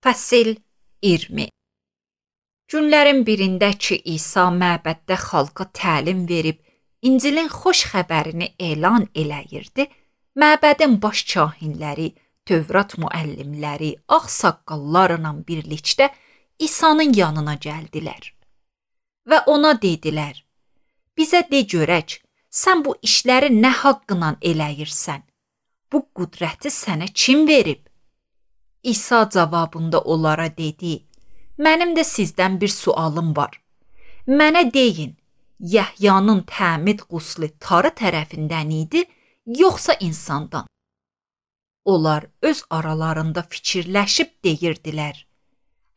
Fəsil 20. Günlərin birində ki, İsa məbəddə xalqa təlim verib, İncilin xoş xəbərini elan eləyirdi, məbədin baş kahinləri, Tövrat müəllimləri, ağsaqqallarla birlikdə İsa'nın yanına gəldilər. Və ona dedilər, bizə de görək, sən bu işləri nə haqqla eləyirsən? Bu qüdrəti sənə kim verib? İsa cavabında onlara dedi, mənim də sizdən bir sualım var. Mənə deyin, Yəhyanın təmid quslu tarı tərəfindən idi, yoxsa insandan? Onlar öz aralarında fikirləşib deyirdilər.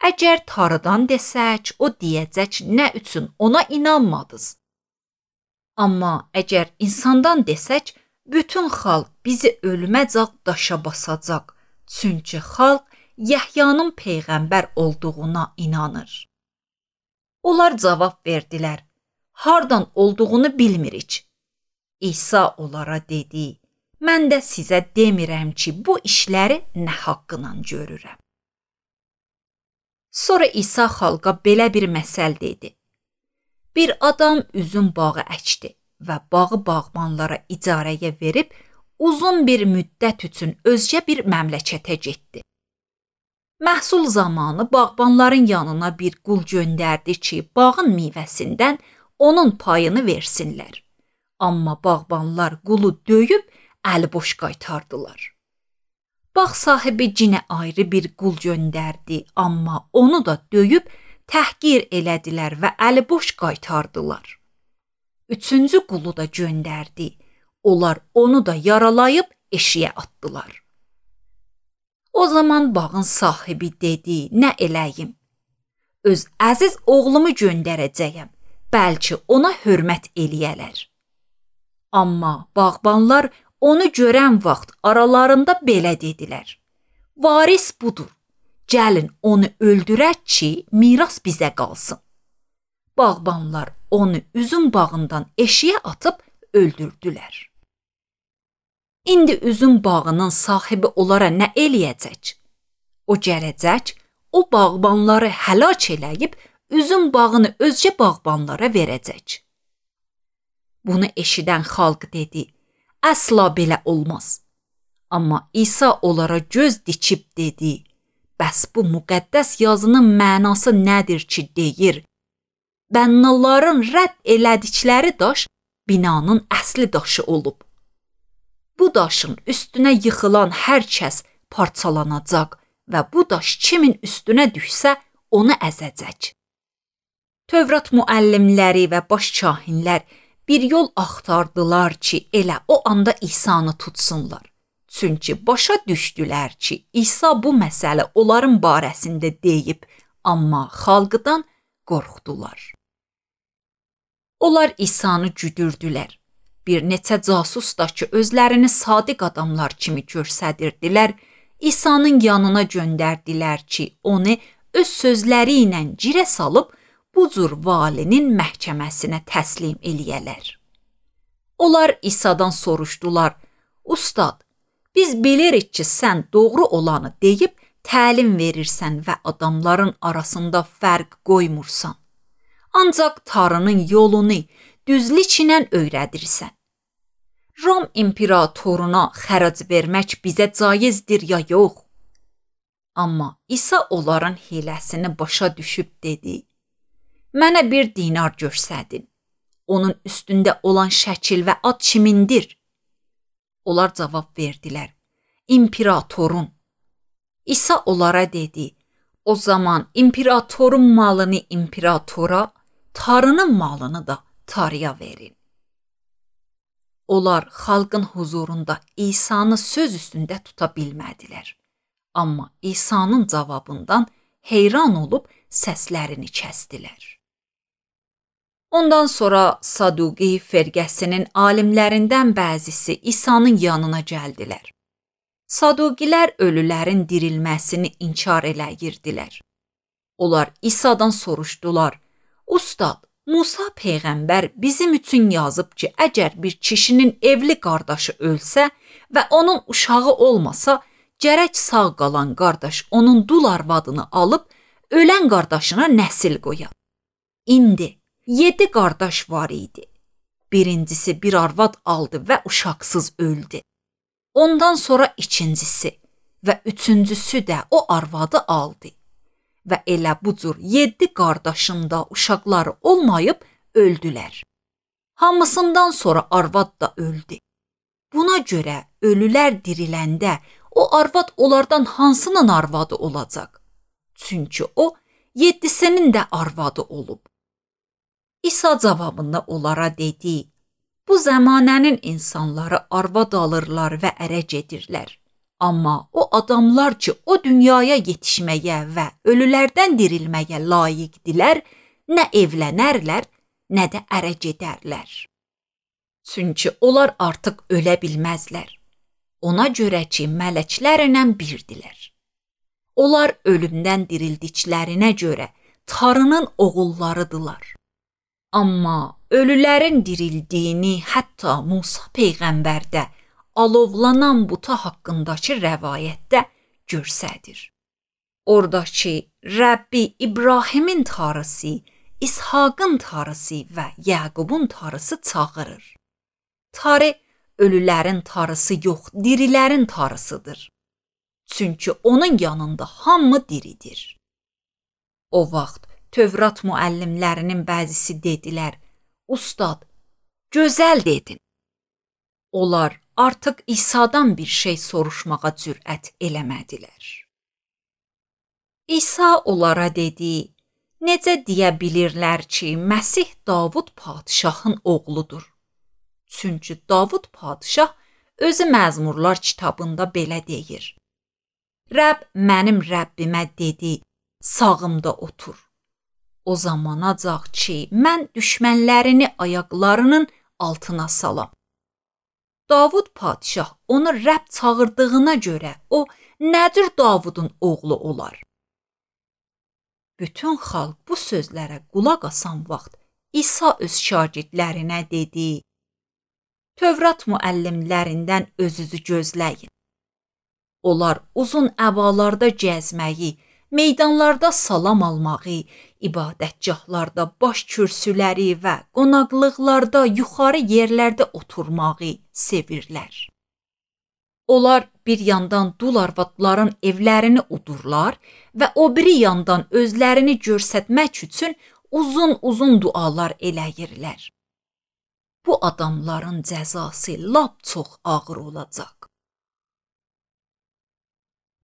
Əgər tarıdan desək, o deyəcək nə üçün ona inanmadınız? Amma əgər insandan desək, bütün xalq bizi ölməcək daşa basacaq. Çünki xalq Yəhyanın peyğəmbər olduğuna inanır. Onlar cavab verdilər, hardan olduğunu bilmirik. İsa onlara dedi, mən də sizə demirəm ki, bu işləri nə haqqla görürəm. Sonra İsa xalqa belə bir məsəl dedi. Bir adam üzüm bağı əkdi və bağı bağbanlara icarəyə verib, uzun bir müddət üçün özgə bir məmləkətə getdi. Məhsul zamanı bağbanların yanına bir qul göndərdi ki, bağın meyvəsindən onun payını versinlər. Amma bağbanlar qulu döyüb, əliboş qaytardılar. Bağ sahibi yenə ayrı bir qul göndərdi, amma onu da döyüb, təhqir elədilər və əliboş qaytardılar. Üçüncü qulu da göndərdi. Onlar onu da yaralayıb eşiyə atdılar. O zaman bağın sahibi dedi, nə eləyim? Öz əziz oğlumu göndərəcəyəm, bəlkə ona hörmət eləyələr. Amma bağbanlar onu görən vaxt aralarında belə dedilər. Varis budur, gəlin onu öldürək ki, miras bizə qalsın. Bağbanlar onu üzüm bağından eşiyə atıb öldürdülər. İndi üzüm bağının sahibi onlara nə eləyəcək? O gələcək, o bağbanları həlak eləyib, üzüm bağını özgə bağbanlara verəcək. Bunu eşidən xalq dedi, əsla belə olmaz. Amma İsa onlara göz dikib dedi, bəs bu müqəddəs yazının mənası nədir ki deyir? Bənnaların rədd elədikləri daş binanın əsli daşı olub. Bu daşın üstünə yıxılan hər kəs parçalanacaq və bu daş kimin üstünə düşsə onu əzəcək. Tövrat müəllimləri və baş kahinlər bir yol axtardılar ki, elə o anda İsa'nı tutsunlar. Çünki başa düşdülər ki, İsa bu məsələ onların barəsində deyib, amma xalqdan qorxdular. Onlar İsa'nı güdürdülər. Bir neçə casus da ki, özlərini sadiq adamlar kimi göstərirdilər, İsa'nın yanına göndərdilər ki, onu öz sözləri ilə girə salıb, bu cür valinin məhkəməsinə təslim eləyələr. Onlar İsa'dan soruşdular, Ustad, biz bilirik ki, sən doğru olanı deyib, təlim verirsən və adamların arasında fərq qoymursan. Ancaq tarının yolunu düzlüklə öyrədirsən. Rom imperatoruna xərac vermək bizə caizdir ya yox? Amma İsa onların hiləsini başa düşüb dedi, mənə bir dinar göstərin. Onun üstündə olan şəkil və ad kimindir? Onlar cavab verdilər, imperatorun. İsa onlara dedi, o zaman imperatorun malını imperatora, tarının malını da tarıya verin. Onlar xalqın huzurunda İsa'nı söz üstündə tuta bilmədilər. Amma İsa'nın cavabından heyran olub səslərini kəsdilər. Ondan sonra Saduqi firqəsinin alimlərindən bəzisi İsa'nın yanına gəldilər. Saduqilər ölülərin dirilməsini inkar eləyirdilər. Onlar İsa'dan soruşdular, Ustad, Musa peyğəmbər bizim üçün yazıb ki, əgər bir kişinin evli qardaşı ölsə və onun uşağı olmasa, gərək sağ qalan qardaş onun dul arvadını alıb ölən qardaşına nəsil qoya. İndi 7 qardaş var idi. Birincisi bir arvad aldı və uşaqsız öldü. Ondan sonra ikincisi və üçüncüsü də o arvadı aldı. Və elə bu cür 7 qardaşın da uşaqları olmayıb öldülər. Hamısından sonra arvad da öldü. Buna görə ölülər diriləndə o arvad onlardan hansının arvadı olacaq? Çünki o 7'sinin də arvadı olub. İsa cavabında onlara dedi: Bu zəmanənin insanları arvad alırlar və ərə gedirlər. Amma o adamlar ki, o dünyaya yetişməyə və ölülərdən dirilməyə layiqdilər, nə evlənərlər, nə də ərə gedərlər. Çünki onlar artıq ölə bilməzlər. Ona görə ki, mələklərlə birdilər. Onlar ölümdən dirildiklərinə görə Tanrının oğullarıdırlar. Amma ölülərin dirildiyini hətta Musa peyğəmbərdə alovlanan buta haqqındakı rəvayətdə görsədir. Oradakı Rəbbi İbrahimin Tanrısı, İshaqın Tanrısı və Yaqubun Tanrısı çağırır. Tanrı ölülərin Tanrısı yox, dirilərin Tanrısıdır. Çünki onun yanında hamı diridir. O vaxt Tövrat müəllimlərinin bəzisi dedilər: Ustad, gözəl dedin. Onlar artıq İsa'dan bir şey soruşmağa cürət eləmədilər. İsa onlara dedi: Necə deyə bilirlər ki, Məsih Davud padşahın oğludur? Çünki Davud padşah özü Məzmurlar kitabında belə deyir: Rəbb mənim Rəbbimə dedi, sağımda otur. O zamanacaq ki, mən düşmənlərini ayaqlarının altına salam. Davud padşah onu Rəbb çağırdığına görə o nədir Davudun oğlu olar? Bütün xalq bu sözlərə qulaq asan vaxt İsa öz şagirdlərinə dedi: Tövrat müəllimlərindən özünüzü gözləyin. Onlar uzun əbalarda gəzməyi, meydanlarda salam almağı, ibadətgahlarda baş kürsüləri və qonaqlıqlarda yuxarı yerlərdə oturmağı sevirlər. Onlar bir yandan dul arvadların evlərini udurlar və o biri yandan özlərini göstərmək üçün uzun dualar eləyirlər. Bu adamların cəzası lap çox ağır olacaq.